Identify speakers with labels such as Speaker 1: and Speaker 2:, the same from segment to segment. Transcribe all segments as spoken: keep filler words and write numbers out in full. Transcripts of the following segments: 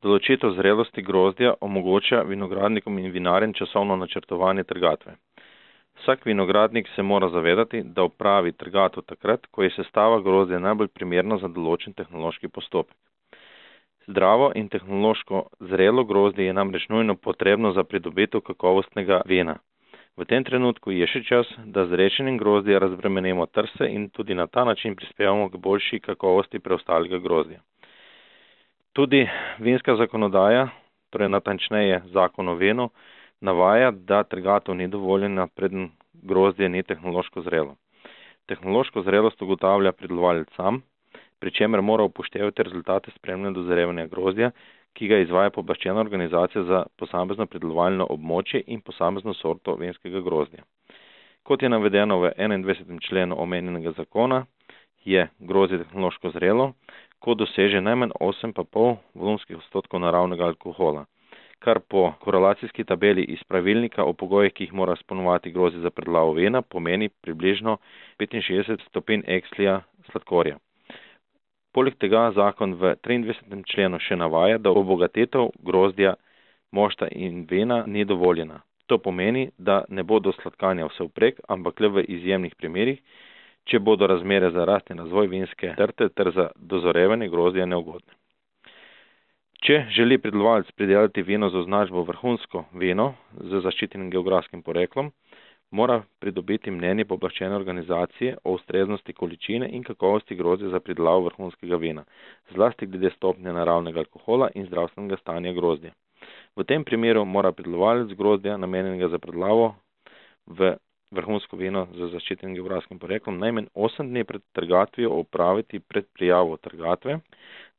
Speaker 1: Določitev zrelosti grozdja omogoča vinogradnikom in vinarjem časovno načrtovanje trgatve. Vsak vinogradnik se mora zavedati, da opravi trgatev takrat, ko je sestava grozdja najbolj primerna za določen tehnološki postopek. Zdravo in tehnološko zrelo grozdje je namreč nujno potrebno za pridobitev kakovostnega vina. V tem trenutku je še čas, da z rečenjem grozdja razbremenimo trse in tudi na ta način prispevamo k boljši kakovosti preostalega grozdja. Tudi vinska zakonodaja, torej natančneje zakon o vinu, navaja, da trgatev ni dovoljena, preden grozdje ni tehnološko zrelo. Tehnološko zrelost ugotavlja pridelovalec sam, pri čemer mora upoštevati rezultate spremljanja dozrevanja grozdja, ki ga izvaja pooblaščena organizacija za posamezno pridelovalno območje in posamezno sorto vinskega grozdja. Kot je navedeno v enaindvajsetem členu omenjenega zakona, je grozdje tehnološko zrelo, ko doseže najmanj osem pa pol volumskih odstotkov naravnega alkohola, kar po korelacijski tabeli iz pravilnika o pogojih, ki jih mora izpolnjevati grozdje za predelavo vina, pomeni približno petinšestdeset stopinj ekslija sladkorja. Poleg tega zakon v triindvajsetem členu še navaja, da obogatetev grozdja, mošta in vina ni dovoljena. To pomeni, da ne bo do sladkanja vsevprek, ampak le v izjemnih primerih, če bodo razmere za rast in razvoj vinske trte ter za dozorevanje grozdja neugodne. Če želi pridelovalec pridelati vino z označbo vrhunsko vino z zaščitenim geografskim poreklom, mora pridobiti mnenje pooblaščene organizacije o ustreznosti količine in kakovosti grozdja za pridelavo vrhunskega vina, zlasti glede stopnje naravnega alkohola in zdravstvenega stanja grozdja. V tem primeru mora pridelovalec grozdja, namenjenega za predelavo v vrhunsko vino z zaščitenim geografskim poreklom, najmanj osem dni pred trgatvijo opraviti pred prijavo trgatve,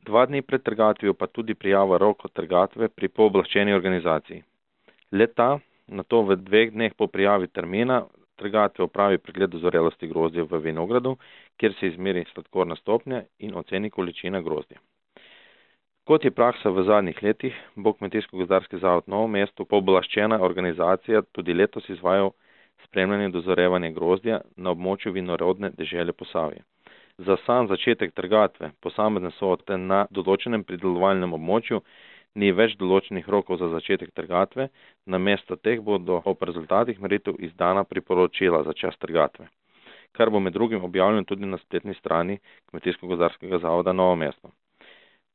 Speaker 1: dva dni pred trgatvijo pa tudi prijava roko trgatve pri pooblaščeni organizaciji. Le-ta nato v dveh dneh po prijavi termina trgatve opravi pregled dozorelosti grozdja v vinogradu, kjer se izmeri sladkorna stopnja in oceni količina grozdja. Kot je praksa v zadnjih letih, bo Kmetijsko-gozdarski zavod Novo mesto pooblaščena organizacija tudi letos izvajal spremljanje dozorevanja grozdja na območju vinorodne dežele Posavje. Za sam začetek trgatve posamezne sorte na določenem pridelovalnem območju ni več določenih rokov za začetek trgatve, namesto teh bodo ob rezultatih meritev izdana priporočila za čas trgatve, kar bo med drugim objavljeno tudi na spletni strani Kmetijsko-gozdarskega zavoda Novo mesto.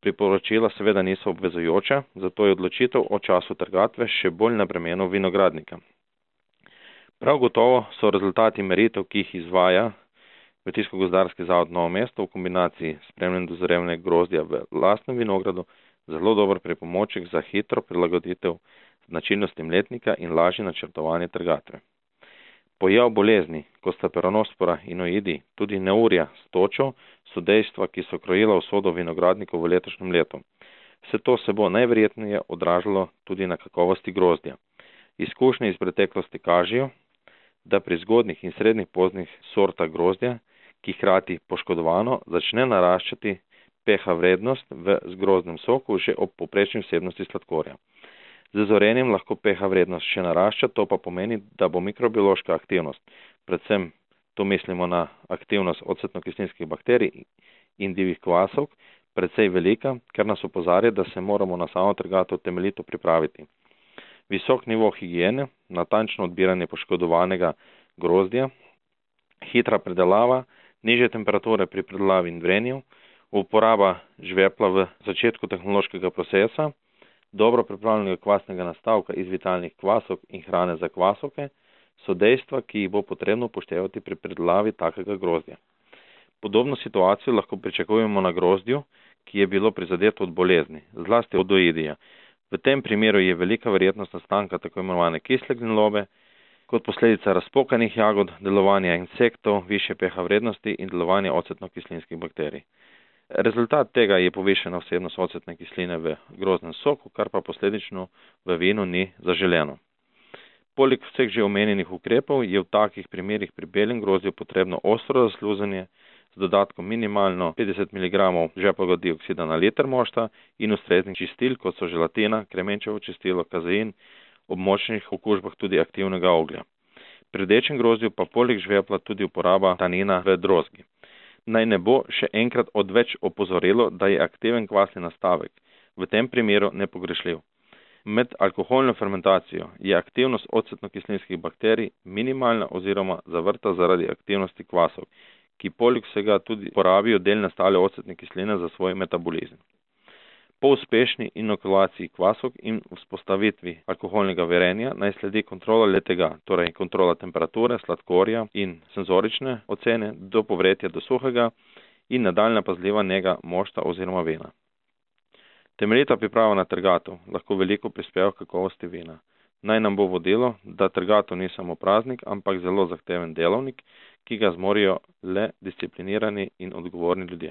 Speaker 1: Priporočila seveda niso obvezujoča, zato je odločitev o času trgatve še bolj na bremenu vinogradnika. Prav gotovo so rezultati meritev, ki jih izvaja Kmetijsko-gozdarski zavod Novo mesto v kombinaciji s spremljanjem dozorevanja grozdja v lastnem vinogradu, zelo dober pripomoček za hitro prilagoditev značilnostim letnika in lažje načrtovanje trgatve. Pojav bolezni, kot sta peronospora in oidi, tudi neurja s točo, so dejstva, ki so krojila usodo vinogradnikov v letošnjem letu. Vse to se bo najverjetneje odražalo tudi na kakovosti grozdja. Izkušnje iz preteklosti kažejo, da pri zgodnjih in srednjih poznih sortah grozdja, ki hkrati poškodovano, začne naraščati pH vrednost v grozdnem soku že ob povprečni vsebnosti sladkorja. Z zorenjem lahko pH vrednost še narašča, to pa pomeni, da bo mikrobiološka aktivnost, predvsem to mislimo na aktivnost ocetno-kislinskih bakterij in divjih kvasov, precej velika, kar nas opozarja, da se moramo na samo trgatev temeljito pripraviti. Visok nivo higiene, natančno odbiranje poškodovanega grozdja, hitra predelava, nižje temperature pri predelavi in vrenju, uporaba žvepla v začetku tehnološkega procesa, dobro pripravljenega kvasnega nastavka iz vitalnih kvasov in hrane za kvasovke so dejstva, ki jih bo potrebno upoštevati pri predelavi takega grozdja. Podobno situacijo lahko pričakujemo na grozdju, ki je bilo prizadeto od bolezni, zlasti od oidija. V tem primeru je velika verjetnost nastanka tako imenovane kisle gnilobe, kot posledica razpokanih jagod, delovanja insektov, više pH vrednosti in delovanja ocetno-kislinskih bakterij. Rezultat tega je povišena vsebnost ocetne kisline v grozdnem soku, kar pa posledično v vinu ni zaželeno. Poleg vseh že omenjenih ukrepov je v takih primerih pri belem grozdju potrebno ostro zasluzanje z dodatkom minimalno petdeset miligramov žveplovega dioksida na liter mošta in ustreznih čistil, kot so želatina, kremenčevo čistilo, kazein, ob močnih okužbah tudi aktivnega oglja. Pri rdečem grozdju pa poleg žvepla tudi uporaba tanina v drozgi. Naj ne bo še enkrat odveč opozorilo, da je aktiven kvasni nastavek v tem primeru nepogrešljiv. Med alkoholno fermentacijo je aktivnost ocetno-kislinskih bakterij minimalna oziroma zavrta zaradi aktivnosti kvasov, ki poleg vsega tudi porabijo del nastale ocetne kisline za svoj metabolizem. Po uspešni inokulaciji kvasov in vzpostavitvi alkoholnega varenja naj sledi kontrola letega, torej kontrola temperature, sladkorja in senzorične ocene do povretja do suhega in nadaljna pazljiva nega mošta oziroma vina. Temeljita priprava na trgatov lahko veliko prispeva k kakovosti vina. Naj nam bo vodilo, da trgatov ni samo praznik, ampak zelo zahteven delovnik, ki ga zmorijo le disciplinirani in odgovorni ljudje.